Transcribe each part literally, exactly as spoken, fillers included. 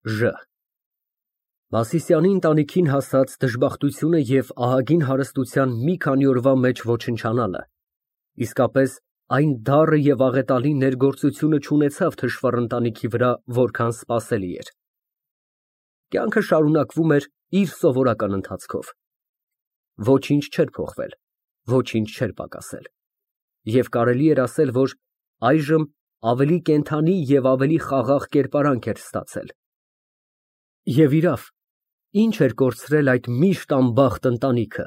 Ժ Մասիսյանի ընտանիքին հասած դժբախտությունը և ահագին հարստության մի քանի օրվա մեջ ոչնչանալը, իսկապես այն դառը և աղետալի ներգործությունը չունեցավ թշվառ ընտանիքի վրա որքան սպասելի էր։ Կյանքը շարունակվում էր իր սովորական ընթացքով։ Ոչինչ չէր փոխվել, ոչինչ չէր պակասել, և կարելի էր ասել, որ այժմ ավելի կենդանի և ավելի խաղաղ կերպարանք էր ստացել։ Եվ իրավ, ինչ էր կորցրել այդ միշտ անբախտ ընտանիքը,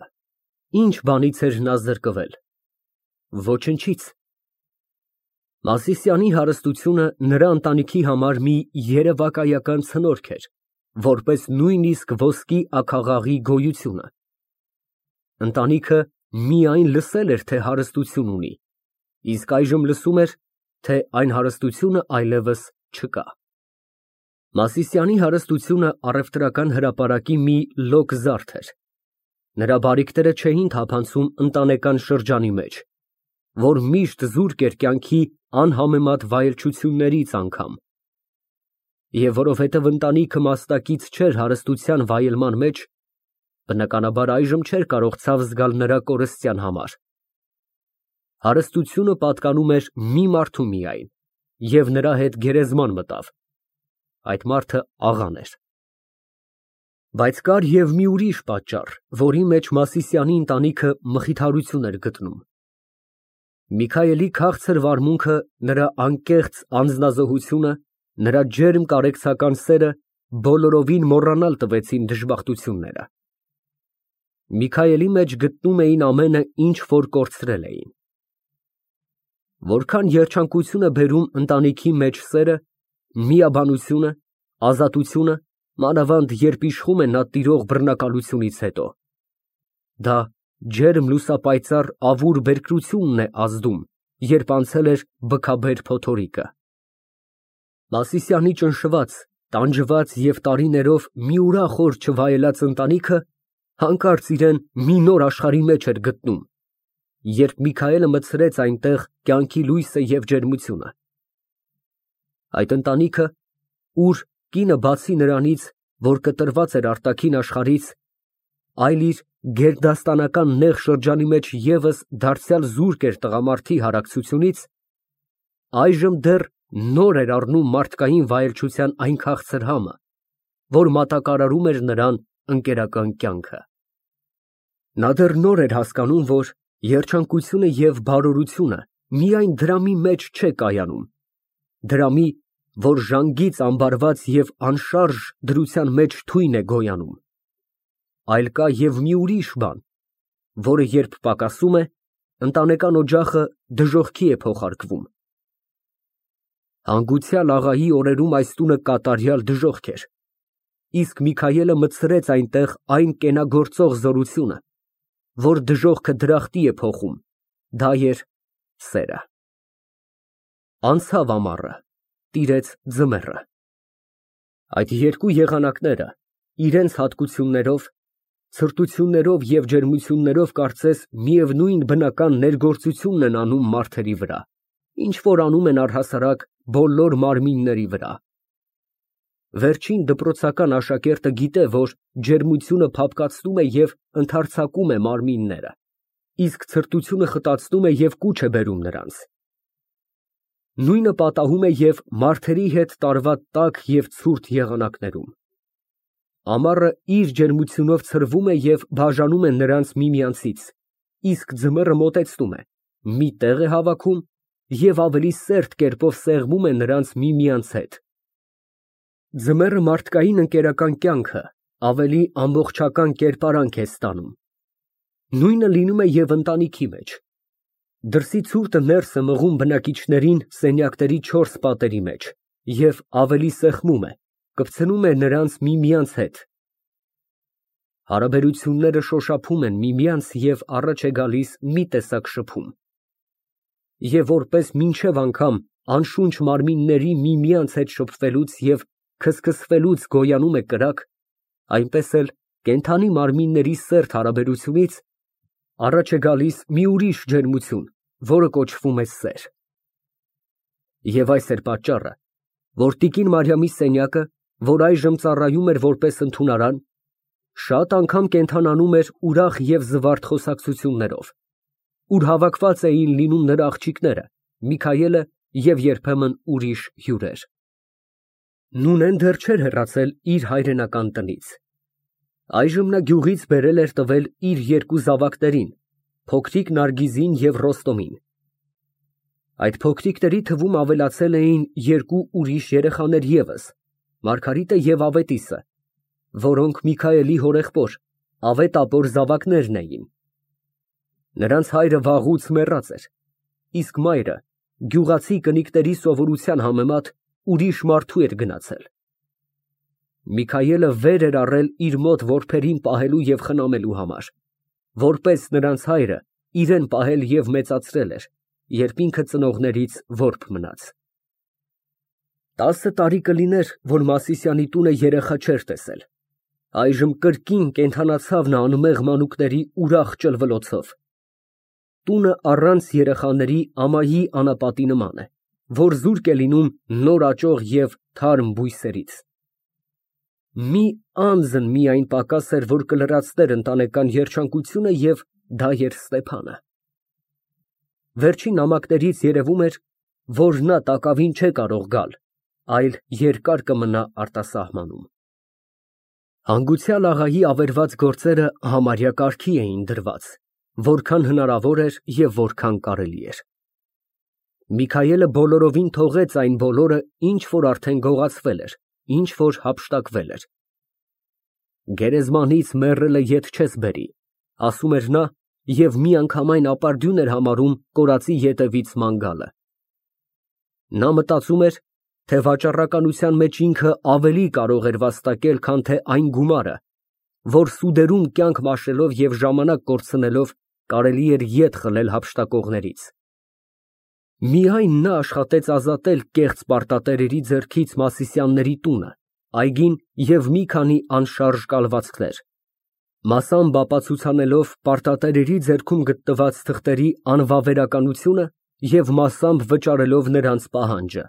ինչ բանից էր նա զրկվել։ Ոչնչից։ Մասիսյանի հարստությունը նրա ընտանիքի համար մի երևակայական ցնորք էր, որպես նույնիսկ ոսկի աքաղաղի գոյությունը։ Ընտանիքը միայն լսել էր, թե հարստություն ունի, իսկ այժմ լսում էր, թե այն հարստությունը այլևս չկա։ Մասիսյանի հարստությունը առևտրական հրապարակի մի լոկ զարդ էր։ Նրա բարիքները չէին թափանցում ընտանեկան շրջանի մեջ, որ միշտ զուրկ էր կյանքի անհամեմատ վայելչություններից անգամ։ Եվ որովհետև ընտանիքը մաստակից չէր հարստության վայելման մեջ, բնականաբար այժմ չէր կարող ցավ զգալ նրա կորստյան համար։ Հարստությունը պատկանում էր մի մարդու միայն, և նրա հետ գերեզման մտավ։ Այդ մարդը աղան էր։ Բայց կար և մի ուրիշ պատճառ, որի մեջ Մասիսյանի ընտանիքը մխիթարություն էր գտնում։ Միքայելի քաղցր վարմունքը, նրա անկեղծ անձնազոհությունը, նրա ջերմ կարեկցական սերը բոլորովին մոռանալ տվեցին դժբախտությունները։ Միքայելի մեջ գտնում էին ամենը, ինչ որ կորցրել էին։ Որքան երջանկություն է բերում ընտանիքի մեջ սերը, միաբանությունը, ազատությունը, մանավանդ երբ իշխում է նա տիրող բռնակալությունից հետո։ Դա ջերմ լուսապայծառ ավուր բերկրությունն է ազդում, երբ անցել էր բքաբեր փոթորիկը։ Մասիսյանի ճնշված, տանջված և տարիներով մի ուրախ օր չվայելած ընտանիքը հանկարծ իրան մի նոր աշխարհի մեջ էր գտնում, երբ Միքայելը մտցրեց այնտեղ կյանքի լույսը և ջերմությունը։ Այդ ընտանիքը, ուր կինը բացի նրանից, որ կտրված էր արտաքին աշխարհից, այլ իր գերդաստանական նեղ շրջանի մեջ ևս դարձյալ զուրկ էր տղամարդի հարակցությունից, այժմ դեռ նոր էր առնում մարդկային վայելչության այն քաղցր համը, որ մատակարարում էր նրան ընկերական կյանքը։ Նա դեռ նոր էր հասկանում, որ երջանկությունը և բարորությունը միայն դրամի մեջ չէ կայանում, դրամի, որ ժանգից ամբարված և անշարժ դրության մեջ թույն է գոյանում, այլ կա և մի ուրիշ բան, որը երբ պակասում է, ընտանեկան օջախը դժոխքի է փոխարկվում։ Հանգուցյալ աղայի օրերում այս տունը կատարյալ դժոխք էր, իսկ Միքայելը մտցրեց այնտեղ այն կենագործող զորությունը, որ դժոխքը դրախտի է փոխում, դա էր սերը։ Անցավ ամառը, տիրեց ձմեռը։ Այդ երկու եղանակները իրենց հատկություններով, ցրտություններով և ջերմություններով կարծես միևնույն բնական ներգործությունն են անում մարդերի վրա, ինչ որ անում են առհասարակ բոլոր մարմինների վրա։ Վերջին դպրոցական աշակերտը գիտե, որ ջերմությունը փափկացնում է և ընդարձակում է մարմինները, իսկ ցրտությունը խտացնում է և կուչ է բերում նրանց։ Նույնը պատահում է և մարդերի հետ տարվա տաք և ցուրտ եղանակներում։ Ամառը իր ջերմությունով ցրվում է և բաժանում է նրանց միմյանցից, իսկ ձմեռը մոտեցնում է, մի տեղ է հավաքում և ավելի սերտ կերպով սեղմում է նրանց միմյանց հետ։ Ձմեռը մարդկային ընկերական կյանքը ավելի ամբողջական կերպարանք է ստանում։ Նույնը լինում է և ընտանիքի մեջ։ Դրսի ցուրտը ներս է մղում բնակիչներին սենյակների չորս պատերի մեջ և ավելի սեղմում է, կպցնում է նրանց միմյանց հետ։ Հարաբերությունները շոշափում են միմյանց և առաջ է գալիս մի տեսակ շփում։ Եվ որպես մինչև անգամ անշունչ մարմինների միմյանց հետ շփվելուց և քսքսվելուց գոյանում է կրակ, այնպես էլ կենդանի մարմինների սերտ հարաբերությունից առաջ է գալիս մի ուրիշ ջերմություն, որը կոչվում է սեր։ Եվ այս էր պատճառը, որ տիկին Մարիամի սենյակը որ այժմ ծառայում էր որպես ընդունարան, շատ անգամ կենդանանում էր ուրախ և զվարթ խոսակցություններով, ուր հավաքված էին լինում նրա աղջիկները, Միքայելը և երբեմն ուրիշ հյուրեր։ Նունեն դեռ չէր հեռացել իր հայրենական տնից։ Այժմ նա գյուղից բերել էր տվել իր երկու զավակներին՝ փոքրիկ Նարգիզին և Ռոստոմին։ Այդ փոքրիկների թվում ավելացել էին երկու ուրիշ երեխաներ ևս՝ Մարգարիտը և Ավետիսը, որոնք Միքայելի հորեղբոր, Ավետ ապոր զավակներն էին։ Նրանց հայրը վաղուց մեռած էր, իսկ մայրը գյուղացի կնիկների սովորության համեմատ ուրիշ մարդու էր գնացել։ Միքայելը վեր էր առել իր մոտ որբերին պահելու և խնամելու համար, որպես նրանց հայրը իրեն պահել և մեծացրել էր, երբ ինքը ծնողներից որբ մնաց։ Տասը տարի կլիներ, որ Մասիսյանի տունը երեխա չէր տեսել, այժմ կրկին կենդանացավ նա անմեղ մանուկների ուրախ ճլվլոցով։ Տունը առանց երեխաների ամայի անապատի նման է, որ զուրկ է լինում նոր աճող և թարմ բույսերից։ Մի անձն միայն պակաս էր, որ կլրացներ ընտանեկան երջանկությունը, և դա էր Ստեփանը։ Վերջին նամակներից երևում էր, որ նա տակավին չէ կարող գալ, այլ երկար կմնա արտասահմանում։ Հանգուցյալ աղայի ավերված գործերը համարյա կարգի էին դրված, որքան հնարավոր էր և որքան կարելի էր։ Միքայելը բոլորովին թողեց այն բոլորը, ինչ որ արդեն գողացվել էր, ինչ որ հափշտակվել էր։ Գերեզմանից մեռելը ետ չես բերի, ասում էր նա և միանգամայն ապարդյուն էր համարում կորածի ետևից ման գալը։ Նա մտածում էր, թե վաճառականության մեջ ինքը ավելի կարող էր վաստակել, քան թե այն գումարը, որ սուդերում կյանք մաշելով և ժամանակ կորցնելով կարելի էր ետ խլել հափշտակողներից։ Միայն նա աշխատեց ազատել կեղծ պարտատերերի ձեռքից Մասիսյանների տունը, այգին և մի քանի անշարժ կալվածքներ, մասամբ ապացուցանելով պարտատերերի ձեռքում գտնված թղթերի անվավերականությունը և մասամբ վճարելով նրանց պահանջը։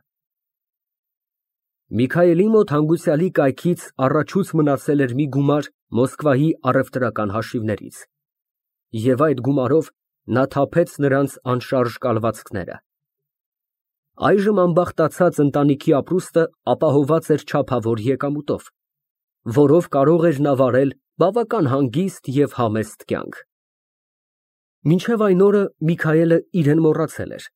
Միքայելի մոտ հանգուցյալի կայքից առաջուց մնացել էր մի գումար Մոսկվայի առևտրական հաշիվներից, և այդ գումարով նա թափեց նրանց անշարժ կալվածքները։ Այժմ ամբախտացած ընտանիքի ապրուստը ապահովված էր չափավոր եկամուտով, որով կարող էր նա վարել բավական հանգիստ և համեստ կյանք։ Մինչև այն օրը Միքայելը իրեն մոռացել էր,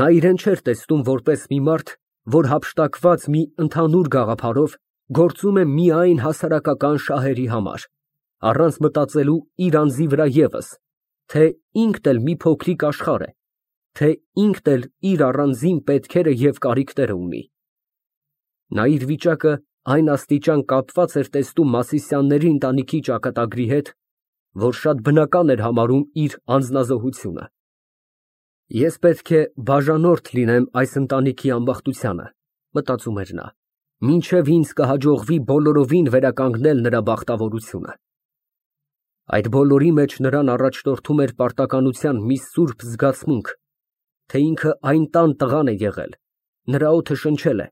նա իրեն չէր տեսնում որպես մի մարդ, որ հափշտակված մի ընդհանուր գաղափարով գործում է միայն հասարակական շահերի համար, առանց մտածելու իր անձի վրա ևս, թե ինքն էլ մի փոքրիկ աշխարհ է, թե ինքն էլ իր առանձին պետքերը և կարիքները ունի։ Նա իր վիճակը այն աստիճան կապված էր տեսնում Մասիսյանների ընտանիքի ճակատագրի հետ, որ շատ բնական էր համարում իր անձնազոհությունը։ Ես պետք է բաժանորդ լինեմ այս ընտանիքի ամբախտությանը, մտածում էր նա, մինչև ինձ կհաջողվի բոլորովին վերականգնել նրա բախտավորությունը։ Այդ բոլորի մեջ նրան առաջնորդում էր պարտականության մի սուրբ զգացմունք, թե ինքը այն տան տղան է եղել, նրա օդը շնչել է,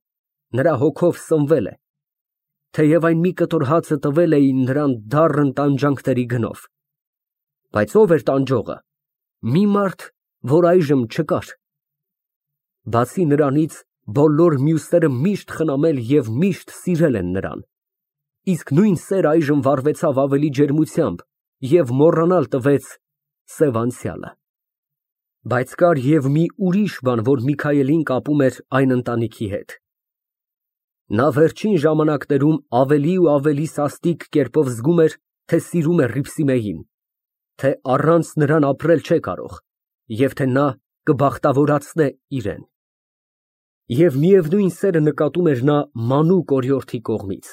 նրա հոգով սնվել է, թեև այն մի կտոր հացը տվել էին նրան դառն տանջանքների գնով։ Բայց ո՞վ էր տանջողը։ Մի մարդ, որ այժմ չկար։ Բացի նրանից, բոլոր մյուսները միշտ խնամել և միշտ սիրել են նրան, իսկ նույն սերը այժմ վառվեցավ ավելի ջերմությամբ և մոռանալ տվեց սև անցյալը։ Բայց կար և մի ուրիշ բան, որ Միքայելին կապում էր այն ընտանիքի հետ։ Նա վերջին ժամանակներում ավելի ու ավելի սաստիկ կերպով զգում էր, թե սիրում է Հռիփսիմեին, թե առանց նրան ապրել չէ կարող և թե նա կբախտավորացնե իրան։ Եվ միևնույն սերը նկատում էր նա մանուկ օրիորդի կողմից։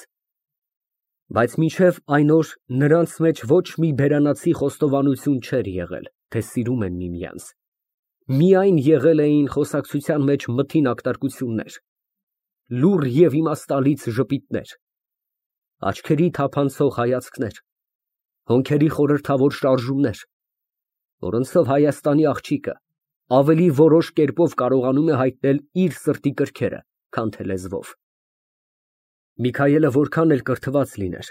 Բայց մինչև այն օր նրանց մեջ ոչ մի բերանացի խոստովանություն չէր եղել, թե սիրում են միմյանց, միայն եղել էին խոսակցության մեջ մթին ակտարկություններ, լուռ և իմաստալից ժպիտներ, աչքերի թափանցող հայացքներ, հոնքերի խորհրդավոր շարժումներ, որոնցով Հայաստանի աղջիկը ավելի որոշ կերպով կարողանում է հայտնել իր սրտի կրքերը, քան թե լեզվով։ Միքայելը որքան էլ կրթված լիներ,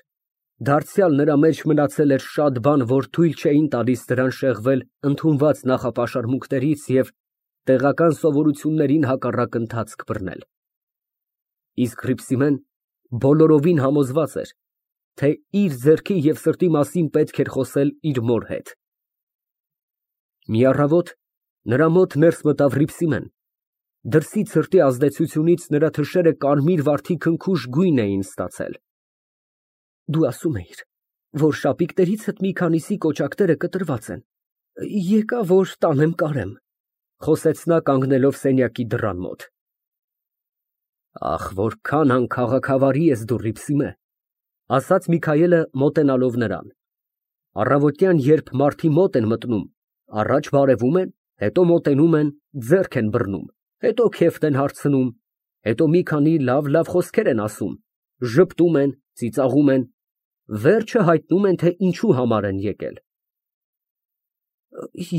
դարձյալ նրա մեջ մնացել էր շատ բան, որ թույլ չէին տալիս նրան շեղվել ընդունված նախապաշարմունքներից և տեղական սովորություններին հակառակ ընթացք բռնել։ Իսկ Հռիփսիմեն բոլորովին համոզված էր, թե իր ձեռքի և սրտի մասին պետք էր խոսել իր մոր հետ։ Մի առավոտ նրա մոտ ներս մտավ Հռիփսիմեն, դրսից սրտի ազդեցությունից նրա թշերը կարմիր վարդի քնքուշ գույն էին ստացել։ Դու ասում էիր, որ շապիկներիցդ մի քանիսի կոճակները կտրված են, եկա, որ տանեմ կարեմ, խոսեց նա կանգնելով սենյակի դռան մոտ։ Ախ, որքան անքաղաքավարի ես դու, Հռիփսիմե, ասաց Միքայելը մոտենալով նրան։ Առավոտյան, երբ մարդի մոտ են մտնում, առաջ բարևում են, հետո մոտենում են, ձեռք են բռնում, հետո քեֆտ են հարցնում, հետո մի քանի լավ֊լավ խոսքեր են ասում, ժպտում են, ծիծաղում են, վերջը հայտնում են, թե ինչու համար են եկել։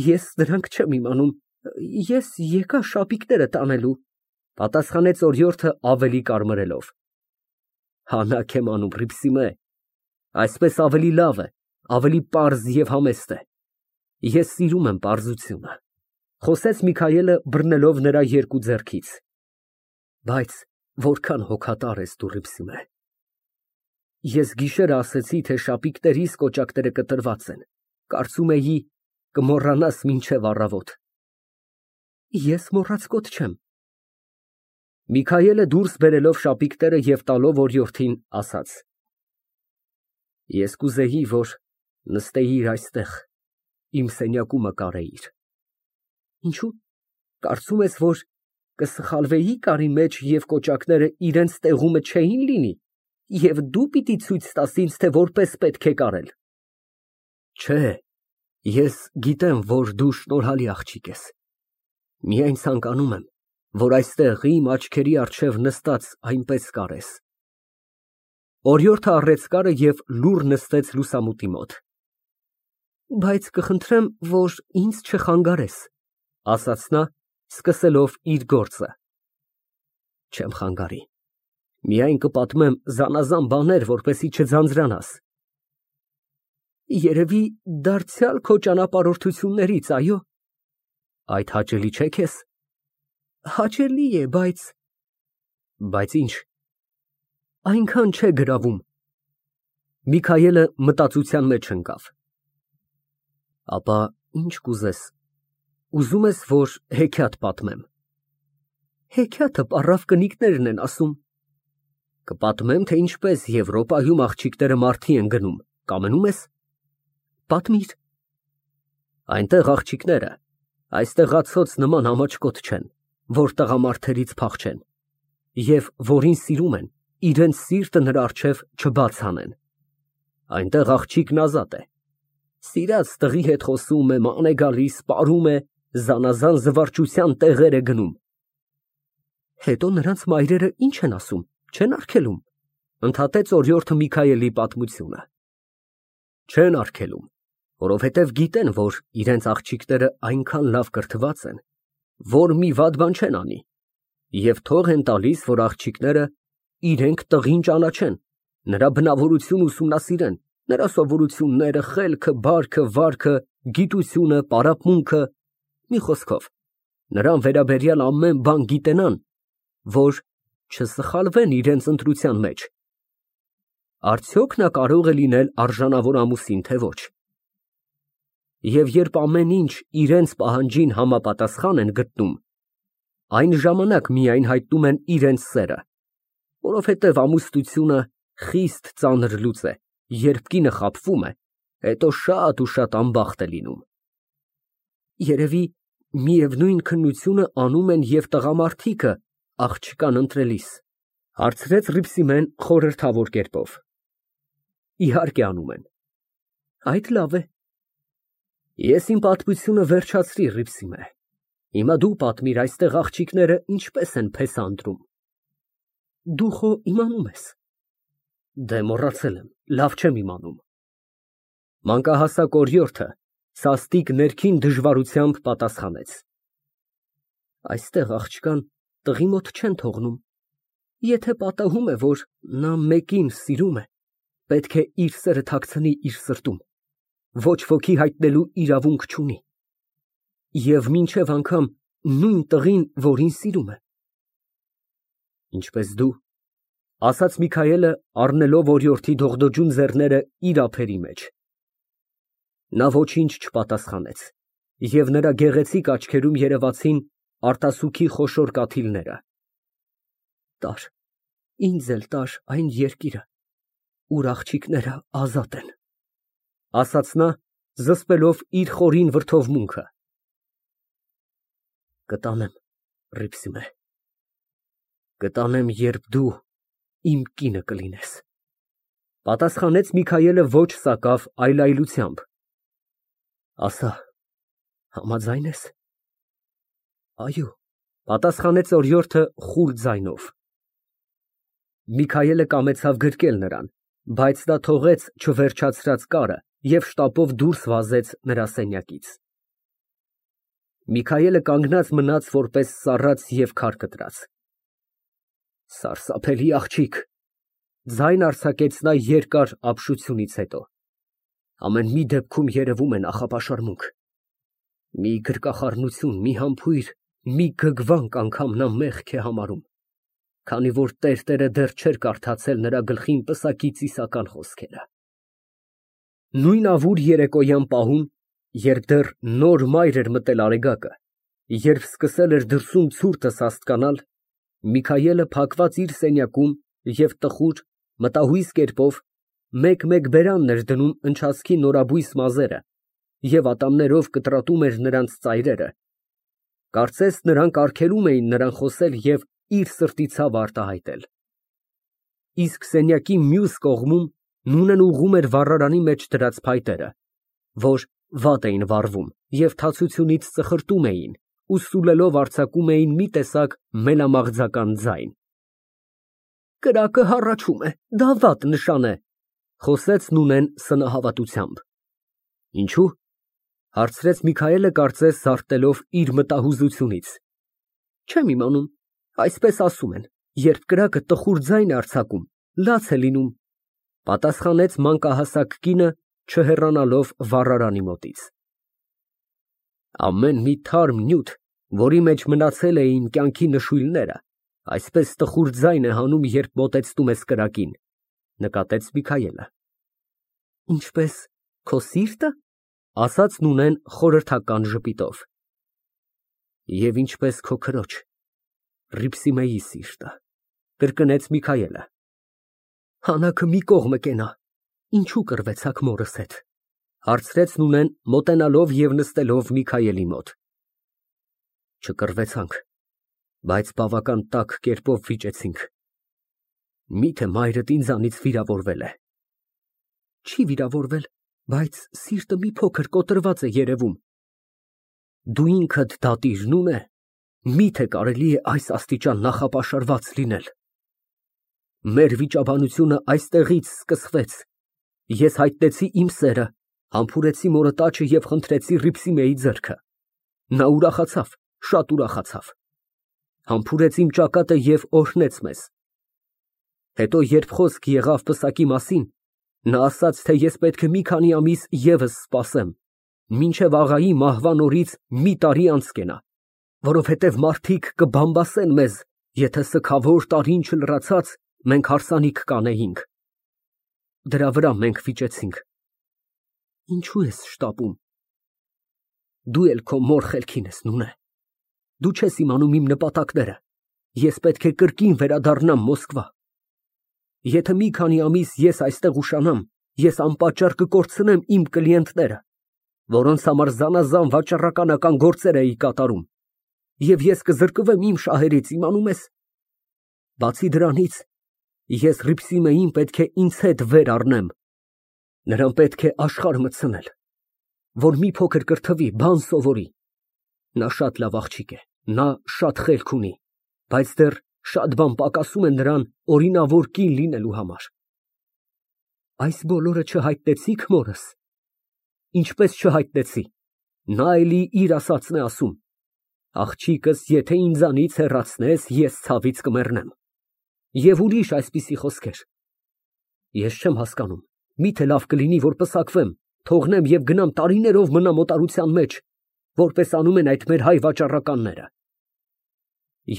Ես դրանք չեմ իմանում, ես եկա շապիկները տանելու, պատասխանեց օրիորդը ավելի կարմրելով։ Հանաք եմ անում, Հռիփսիմե, այսպես ավելի լավ է, ավելի պարզ և համեստ է։ Ես սիրում եմ պարզությունը, խոսեց Միքայելը բռնելով նրա երկու ձեռքից։ Բայց որքան հոգատար ես դու, Հռիփսիմե։ Ես գիշերը ասեցի, թե շապիկներիս կոճակները կտրված են, կարծում էի կմոռանաս մինչև առավոտ։ Ես մոռացկոտ չեմ։ Միքայելը դուրս բերելով շապիկները և տալով օրիորդին, ասաց. Ես կուզեի, որ նստեիր այստեղ, իմ սենյակումը կարեիր։ Ինչու՞, կարծում ես, որ կսխալվեի կարի մեջ և կոճակները իրենց տեղումը չէին լինի, և դու պիտի ցույց տաս ինձ, թե որպես պետք է կարել։ Չէ, ես գիտեմ, որ դու շնորհալի աղջիկ ես, միայն ցանկանում եմ, որ այստեղ իմ աչքերի առջև նստած այնպես կարես։ Օրիորդը առեց կարը և լուռ նստեց լուսամուտի մոտ։ Բայց կխնդրեմ, որ ինձ չխանգարես, ասաց նա, սկսելով իր գործը։ Չեմ խանգարի, միայն կպատմեմ զանազան բաներ, որպեսզի չձանձրանաս։ Երևի դարձյալ քո ճանապարհորդություններից, այո։ Այդ հաճելի չէ քեզ։ Հաճելի է, բայց… Բայց ինչ։ Այնքան չէ գրավում։ Միքայելը մտածության մեջ ընկավ։ Ապա ինչ կուզես, ուզում ես, որ հեքիաթ պատմեմ։ Հեքիաթը պառավ կնիկներն են ասում։ Կպատմեմ, թե ինչպես Եվրոպայում աղջիկները մարդի են գնում, կամենում ես։ Պատմիր։ Այնտեղ աղջիկները այստեղացոց նման ամաչկոտ չեն, որ տղամարդերից փախչեն, և որին սիրում են, իրենց սիրտը նրա առջև չբաց հանեն։ Այնտեղ աղջիկն ազատ է։ Սիրած տղի հետ խոսում է, ման է գալիս, պարում է, զանազան զվարճության տեղեր է գնում։ Հետո նրանց մայրերը ինչ են ասում, չեն արգելում, ընդհատեց օրիորդը Միքայելի պատմությունը։ Չեն արգելում, որովհետև գիտեն, որ իրենց աղջիկները այնքան լավ կրթված են, որ մի վատ բան չեն անի, և թող են տալիս, որ աղջիկները իրենք տղին ճանաչեն, նրա բնավորությունը ուսումնասիրեն, նրա սովորությունները, խելքը, բարքը, վարքը, գիտությունը, պարապմունքը, մի խոսքով, նրան վերաբերյալ ամեն բան գիտենան, որ չսխալվեն իրենց ընտրության մեջ։ Արդյոք նա կարող է լինել արժանավոր ամուսին, թե ոչ։ Եվ երբ ամեն ինչ իրենց պահանջին համապատասխան են գտնում, այն ժամանակ միայն հայտնում են իրենց սերը, որովհետև ամուսնությունը խիստ ծանր լուծ է, երբ կինը խաբվում է, հետո շատ ու շատ անբախտ է լինում։ Երևի միևնույն քննությունը անում են և տղամարդիկը աղջկան ընտրելիս, հարցրեց Հռիփսիմեն խորհրդավոր կերպով։ Իհարկե անում են։ Այդ լավ է։ Ես իմ պատմությունը վերջացրի, Հռիփսիմե։ Հիմա դու պատմիր այստեղ աղջիկները ինչպես են փեսա ընտրում։ Դու խո իմանում ես։ Դե մոռացել եմ, լավ չեմ իմանում։ Մանկահասակ օրիորդը սաստիկ ներքին դժվարությամբ պատասխանեց։ Այստեղ աղջկան տղի մոտ չեն թողնում։ Եթե պատահում է, որ նա մեկին սիրում է, պետք է իր սերը թաքցնի իր սրտում, ոչ ոքի հայտնելու իրավունք չունի, և մինչև անգամ նույն տղին, որին սիրում է։ Ինչպես դու, ֊ ասաց Միքայելը, առնելով օրիորդի դողդոջուն ձեռները իր ափերի մեջ։ Նա ոչինչ չպատասխանեց, և նրա գեղեցիկ աչքերում երևացին արտասուքի խոշոր կաթիլները։ Տար, ինձ էլ տար այն երկիրը, ուր աղջիկները ազատ են, ֊ ասաց նա, զսպելով իր խորին վրդովմունքը։ Կտանեմ, Հռիփսիմե, կտանեմ, երբ դու իմ կինը կլինես, ֊ պատասխանեց Միքայելը ոչ սակավ այլայլությամբ։ Ասա, համաձա՞յն ես։ Այո, ֊ պատասխանեց օրիորդը խուլ ձայնով։ Միքայելը կամեցավ գրկել նրան, բայց նա թողեց չվերջացրած կարը և շտապով դուրս վազեց նրա սենյակից։ Միքայելը կանգնած մնաց որպես սառած և քար կտրած։ Սարսափելի աղջիկ, ֊ ձայն արձակեց նա երկար ապշությունից հետո, ամեն մի դեպքում երևում է նախապաշարմունք, մի գրկախառնություն, մի համբույր, մի գգվանք անգամ նա մեղք է համարում, քանի որ տերտերը դեռ չէր կարդացել նրա գլխին պսակի ծիսական խոսքերը։ Նույն ավուր երեկոյան պահում, երբ դեռ նոր մայր էր մտել արեգակը, երբ սկսել էր դրսում ցուրտը սաստկանալ, Միքայելը փակված իր սենյակում և տխուր, մտահույս կերպով մեկ֊մեկ բերանն էր դնում ընչացքի նորաբույս մազերը և ատամներով կտրատում էր նրանց ծայրերը, կարծես նրանք արգելում էին նրան խոսել և իր սրտի ցավը արտահայտել։ Իսկ սենյակի մյուս կողմում նունն ուղղում էր վառարանի մեջ դրած փայտերը, որ վատ էին վառվում և թացությունից ծխրտում էին ու սուլելով արձակում էին մի տեսակ մելամաղձական ձայն։ Կրակը հառաչում է, դա վատ նշան է, ֊ խոսեց Նունեն սնահավատությամբ։ Ինչո՞ւ, ֊ հարցրեց Միքայելը, կարծես զարթնելով իր մտահուզությունից։ Չեմ իմանում, այսպես ասում են, երբ կրակը տխուր ձայն է արձակում, լաց է լինում, ֊ պատասխանեց մանկահասակ կինը, չհեռանալով վառարանի մոտից։ Ամեն մի թարմ նյութ, որի մեջ մնացել էին կյանքի նշույլները, այսպես տխուր ձայն է հանում, երբ մոտեցնում ես կրակին, ֊ նկատեց Միքայելը։ Ինչպես քո սիրտը, ֊ ասաց Նունեն խորհրդական ժպիտով։ Եվ ինչպես քո քրոջ, Հռիփսիմեի սիրտը, ֊ կրկնեց Միքայելը։ Հանաքը մի կողմը կենա, ինչու կռվեցաք մորս հետ, ֊ հարցրեց Նունեն, մոտենալով և նստելով Միքայելի մոտ։ Չկռվեցանք, բայց բավական տաք կերպով վիճեցինք։ Միթե մայրդ ինձանից վիրավորվել է։ Չի վիրավորվել, բայց սիրտը մի փոքր կոտրված է երևում։ Դու ինքդ դատիր, Նունե, միթե կարելի է այս աստիճան նախապաշարված լինել։ Մեր վիճաբանությունը այստեղից սկսվեց։ Ես հայտնեցի իմ սերը, համբուրեցի մորդ աչքը և խնդրեցի Հռիփսիմեի ձեռքը։ Նա ուրախացավ, շատ ուրախացավ։ Համբուրեց իմ ճակատը և օրհնեց մեզ։ Հետո, երբ խոսք եղավ պսակի մասին, նա ասաց, թե ես պետք է մի քանի ամիս ևս սպասեմ, մինչև աղայի մահվան օրից մի տարի անց կենա, որովհետև մարդիկ կբամբասեն մեզ, եթե սգավոր տարին չլրացած մենք հարսանիք կանեինք։ Դրա վրա մենք վիճեցինք։ Ինչո՞ւ ես շտապում։ Դու էլ քո մոր խելքին ես, Նունե։ Դու չես իմանում իմ նպատակները, ես պետք է կրկին վերադառնամ Մոսկվա։ Եթե մի քանի ամիս ես այստեղ ուշանամ, ես անպատճառ կկորցնեմ իմ կլիենտները, որոնց համար զանազան վաճառականական գործեր էի կատարում, և ես կզրկվեմ իմ շահերից, իմանում ես։ Բացի դրանից, ես Հռիփսիմեին պետք է ինձ հետ վեր առնեմ, նրան պետք է աշխարհ մտցնել, որ մի փոքր կրթվի, բան սովորի։ Նա շատ լավ աղջիկ է, նա շատ խելք ունի, բայց դեռ շատ բան պակասում է նրան օրինավոր կին լինելու համար։ Այս բոլորը չհայտնեցի՞ք մորս։ Ինչպես չհայտնեցի, նա էլի իր ասածն է ասում. աղջիկս եթե ինձանից հեռացնես, ես ցավից կմեռնեմ։ Եվ ուրիշ այսպիսի խոսքեր։ Ես չեմ հասկանում, միթե լավ կլինի, որ պսակվեմ, թողնեմ և գնամ տարիներով մնամ օտարության մեջ, որպես անում են այդ մեր հայ վաճառականները։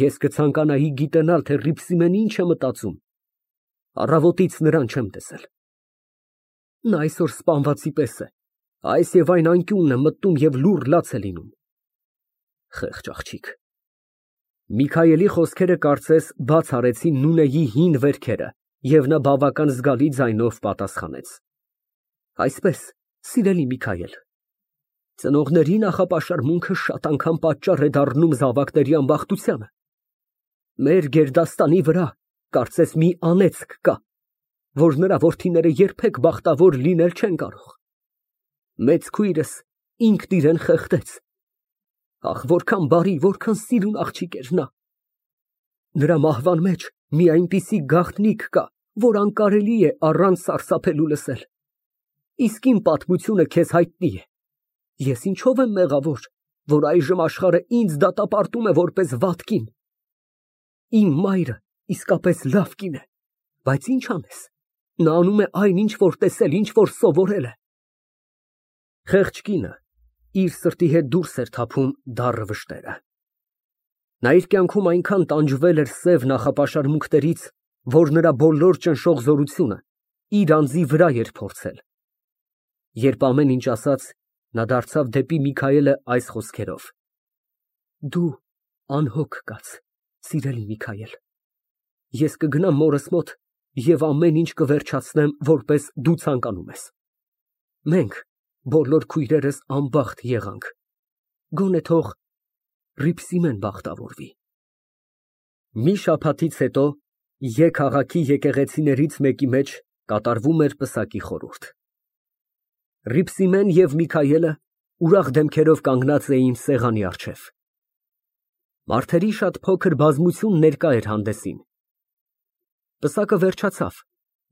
Ես կցանկանայի գիտենալ, թե Հռիփսիմեն ինչ է մտածում։ Առավոտից նրան չեմ տեսել։ Նա այսօր սպանվածի պես է, այս և այն անկյունն է մտնում և լուռ լաց է լինում։ Խեղճ աղջիկ։ Միքայելի խոսքերը կարծես բաց արեցին Նունեի հին վերքերը, և նա բավական զգալի ձայնով պատասխանեց. Այսպես, սիրելի Միքայել, ծնողների նախապաշարմունքը շատ անգամ պատճառ է դառնում զավակների ամբախտությանը։ Մեր գերդաստանի վրա կարծես մի անեծք կա, որ նրա որդիները երբեք բախտավոր լինել չեն կարող։ Մեծ քույրս ինքն իրան խեղդեց։ Ախ, որքան բարի, որքան սիրուն աղջիկ էր նա։ Նրա մահվան մեջ մի այնպիսի գաղտնիք կա, որ անկարելի է առանց սարսափելու լսել։ Իսկ իմ պատմությունը քեզ հայտնի է։ Ես ինչով եմ մեղավոր, որ այժմ աշխարհը ինձ դատապարտում է որպես վատ կին։ Իմ մայրը իսկապես լավ կին է, բայց ինչ անես, նա անում է այն, ինչ որ տեսել, ինչ որ սովորել է։ Խեղճ կինը իր սրտի հետ դուրս էր թափում դառը վշտերը։ Նա իր կյանքում այնքան տանջվել էր սև նախապաշարմունքներից, որ նրա բոլոր ճնշող զորությունը իր անձի վրա էր փորձել։ Երբ ամեն ինչ ասաց, նա դարձավ դեպի Միքայելը այս խոսքերով. Դու անհոգ կաց, սիրելի Միքայել, ես կգնամ մորս մոտ և ամեն ինչ կվերջացնեմ, որպես դու ցանկանում ես։ Մենք բոլոր քույրերս անբախտ եղանք, գոնե թող Հռիփսիմեն բախտավորվի։ Մի շաբաթից հետո Ե քաղաքի եկեղեցիներից մեկի մեջ կատարվում էր պսակի խորհուրդ։ Հռիփսիմեն և Միքայելը ուրախ դեմքերով կանգնած էին սեղանի առջև։ Մարդերի շատ փոքր բազմություն ներկա էր հանդեսին։ Պսակը վերջացավ,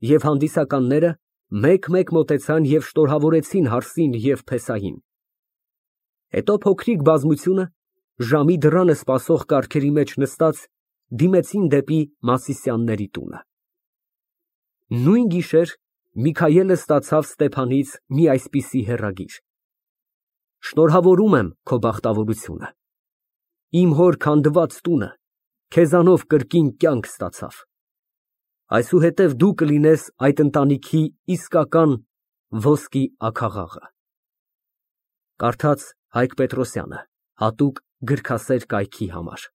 և հանդիսականները մեկ֊մեկ մոտեցան և շնորհավորեցին հարսին և փեսային։ Հետո փոքրիկ բազմությունը, ժամի դռանը սպասող կառքերի մեջ նստած, դիմեցին դեպի Մասիսյանների տունը։ Նույն գիշեր Միքայելը ստացավ Ստեփանից մի այսպիսի հեռագիր. Շնորհավորում եմ քո բախտավորությունը։ Իմ հոր քանդված տունը քեզանով կրկին կյանք ստացավ։ Այսուհետև դու կլինես այդ ընտանիքի իսկական ոսկի աքաղաղը։ Կարդաց Հայկ Պետրոսյանը, հատուկ գրքասեր կայքի համար։